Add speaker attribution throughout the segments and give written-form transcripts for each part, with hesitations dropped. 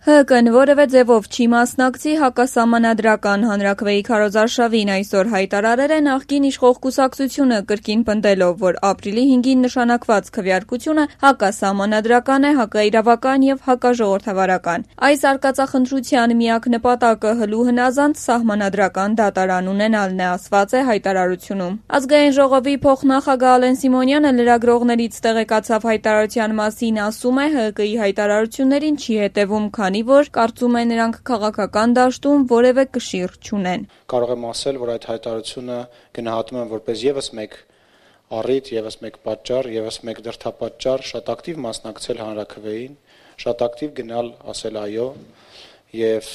Speaker 1: ՀԿ-ն որևէ ձևով չի մասնակցի հակասահմանադրական հանրաքվեի քարոզարշավին, այսօր հայտարարել է նախկին իշխող կուսակցությունը, կրկին պնդելով, որ ապրիլի 5-ին նշանակված քվեարկությունը հակասահմանադրական է, հակաիրավական եւ հակաժողովրդավարական։ Այս արկածախնդրության միակ նպատակը հլու հնազանդ սահմանադրական դատարան ունենալն է, ասված է հայտարարությունում։ Ազգային ժողովի փոխնախագահ Ալեն Սիմոնյանը լրագրողներից տեղեկացավ հայտարարության մասին, ասում է, ՀԿ-ի հայտարարություններին չի հետևում, քանի որ կարծում է նրանք քաղաքական դաշտում որևէ կշիռ չունեն։
Speaker 2: Կարող եմ ասել, որ այդ հայտարարությունը գնահատում եմ որպես եւս մեկ առիթ, եւս մեկ պատճառ, եւս մեկ դրդապատճառ շատ ակտիվ մասնակցել հանրաքվեին, շատ ակտիվ գնալ ասել այո եւ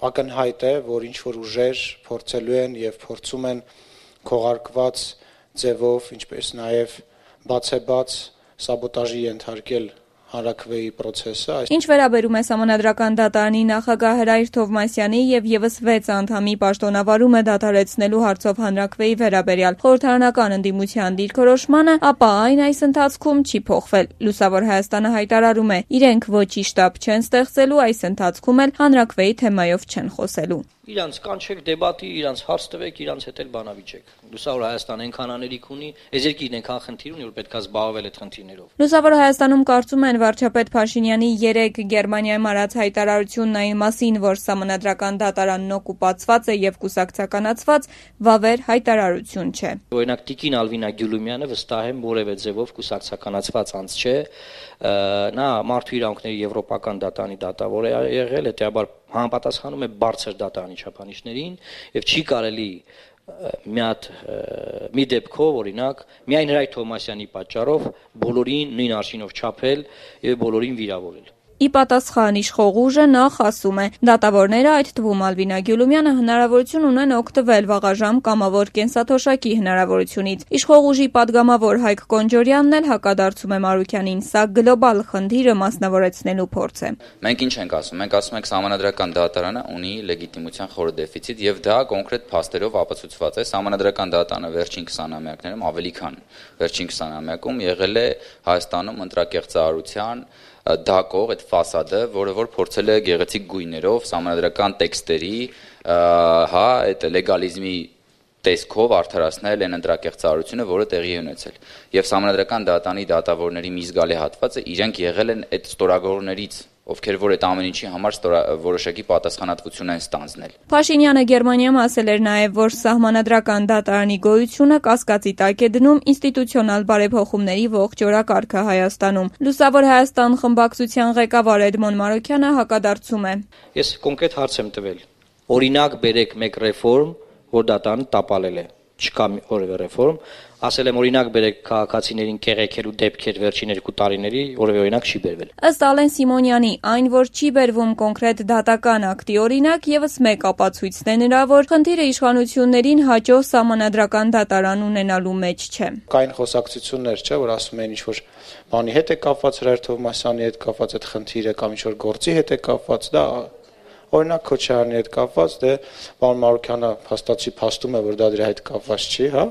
Speaker 2: ակնհայտ է, որ ինչ որ ուժեր փորձելու են եւ փորձում են քողարկված ձևով, ինչպես նաեւ բացեբաց սաբոտաժի ենթարկել հանրաքվեի process-ը։
Speaker 1: Ինչ վերաբերում է Սահմանադրական դատարանի նախագահ Հրայր Թովմասյանի եւ եւս 6 անդամի պաշտոնավարումը դադարեցնելու հարցով հանրաքվեի վերաբերյալ խորհրդարանական ընդդիմության դիրքորոշմանը, ապա այն այս ընթացքում չի փոխվել։ Լուսավոր Հայաստանը հայտարարում է, իրենք ոչի շտաբ չեն ստեղծելու, այս ընթացքում էլ հանրաքվեի թեմայով չեն խոսելու։
Speaker 3: Իրանց կանչեք դեբատի, իրանց հարց տվեք, իրանց հետ էլ բանավիճեք։ Լուսավոր Հայաստանը այնքան աներիք ունի, այս երկիրն այնքան խնդիր ունի, որ պետք է զբաղվել այդ խնդիրներով։
Speaker 1: Լուսավոր Հայաստանում կարծում են վարչապետ Փաշինյանի 3 Գերմանիայում արած հայտարարությունն այն մասին, որ Սահմանադրական դատարանն օկուպացված է եւ կուսակցականացված, վավեր հայտարարություն չէ։
Speaker 3: Օրինակ Տիկին Ալվինա Գյուլումյանը վստահ եմ որևէ ձևով կուսակցականացված անձ չէ, նա մարդու իրավունքների եվրոպական դատարանի դատավոր է եղել, հետեւաբար համապատասխանում է բարձր դատարանի չափանիշներին եւ չի կարելի մի դեպքով օրինակ միայն Հրայր Թովմասյանի պատճառով բոլորին նույն արշինով չափել եւ բոլորին վիրավորել։
Speaker 1: Ի պատասխան իշխող ուժը նախ ասում է, դատավորները, այդ թվում Ալվինա Գյուլումյանը, հնարավորություն ունեն օգտվել վաղաժամ կամավոր կենսաթոշակի հնարավորությունից։ Իշխող ուժի падգամավոր Հայկ Կոնջորյանն էլ հակադարձում է Մարուքյանին, սա գլոբալ խնդիրը մասնավորեցնելու փորձ է։
Speaker 4: Մենք ինչ ենք ասում, մենք ասում ենք Սահմանադրական դատարանը ունի լեգիտիմության խոր դեֆիցիտ եւ դա կոնկրետ փաստերով ապացուցված է։ Սահմանադրական դատարանը վերջին 20-ամյակներում ավելի քան վերջին 20-ամյակում եղել է Հայաստանում ընտրակեղծարարության դակող այդ ֆասադը, որը որ փորձել է գեղեցիկ գույներով սահմանադրական տեքստերի, այդ լեգալիզմի տեսքով արդարացնել այն ընտրակեղծարարությունը, որը տեղի է ունեցել։ Եվ Սահմանադրական դատարանի դատավորների մի զգալի հատվածը իրենք եղել են այդ ստորագրողներից, ովքեր որ այդ ամեն ինչի համար որոշակի պատասխանատվություն են ստանձնել։
Speaker 1: Փաշինյանը Գերմանիայում ասել էր նաև, որ Սահմանադրական դատարանի գոյությունը կասկածի տակ է դնում ինստիտուցիոնալ բարեփոխումների ողջ օրակարգը Հայաստանում։ Լուսավոր Հայաստան խմբակցության ղեկավար Էդմոն Մարուքյանը հակադարձում է։
Speaker 3: Ես կոնկրետ հարց եմ տվել։ Օրինակ բերեք մեկ ռեֆորմ, որ դատարանը տապալել է։ Չկա որևէ ռեֆորմ, ասել եմ օրինակ բերեք քաղաքացիներին կեղեքելու դեպքեր վերջին 2 տարիների, որևէ օրինակ չի բերվել։
Speaker 1: Ըստ Ալեն Սիմոնյանի, այն, որ չի բերվում կոնկրետ դատական ակտի օրինակ, եւս մեկ ապացույցն է նրա, որ խնդիրը իշխանություններին հաջող Սահմանադրական դատարան ունենալու մեջ չէ։
Speaker 2: Կային խոսակցություններ, չէ, որ ասում են ինչ որ բանի հետ է կապված, Հրայր Թովմասյանի հետ կապված այդ խնդիրը կամ ինչ որ գործի հետ է կապված, դա օրինակ Քոչարյանի հետ կապված, դե պարոն Մարուքյանը փաստացի փաստում է, որ դա դրա հետ կապված չի, հա,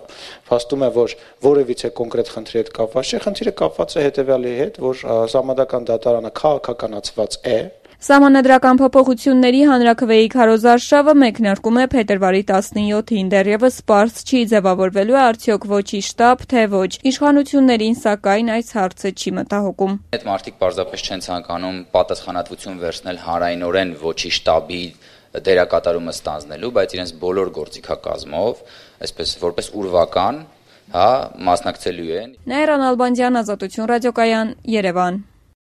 Speaker 2: փաստում է, որ որևիցե կոնկրետ խնդրի հետ կապված չի, խնդիրը կապված է հետեւյալի հետ, որ Սահմանադրական դատարանը քաղաքականացված է։
Speaker 1: Սահմանադրական փոփոխությունների հանրաքվեի քարոզարշավը մեկնարկում է փետրվարի 17-ին, դեռևս պարզ չի ձևավորվելու է արդյոք ոչի շտաբ, թե ոչ։ Իշխանություններին սակայն այս հարցը չի մտահոգում։
Speaker 4: Այդ մարդիկ պարզապես չեն ցանկանում պատասխանատվություն վերցնել հանրայնորեն ոչի շտաբի դերակատարումը ստանձնելու, բայց իրենց բոլոր գործիքակազմով, այսպես որպես ուրվական, հա, մասնակցելու են։
Speaker 1: Նաիրա Նալբանդյան, Ազատություն ռադիոկայան, Երևան։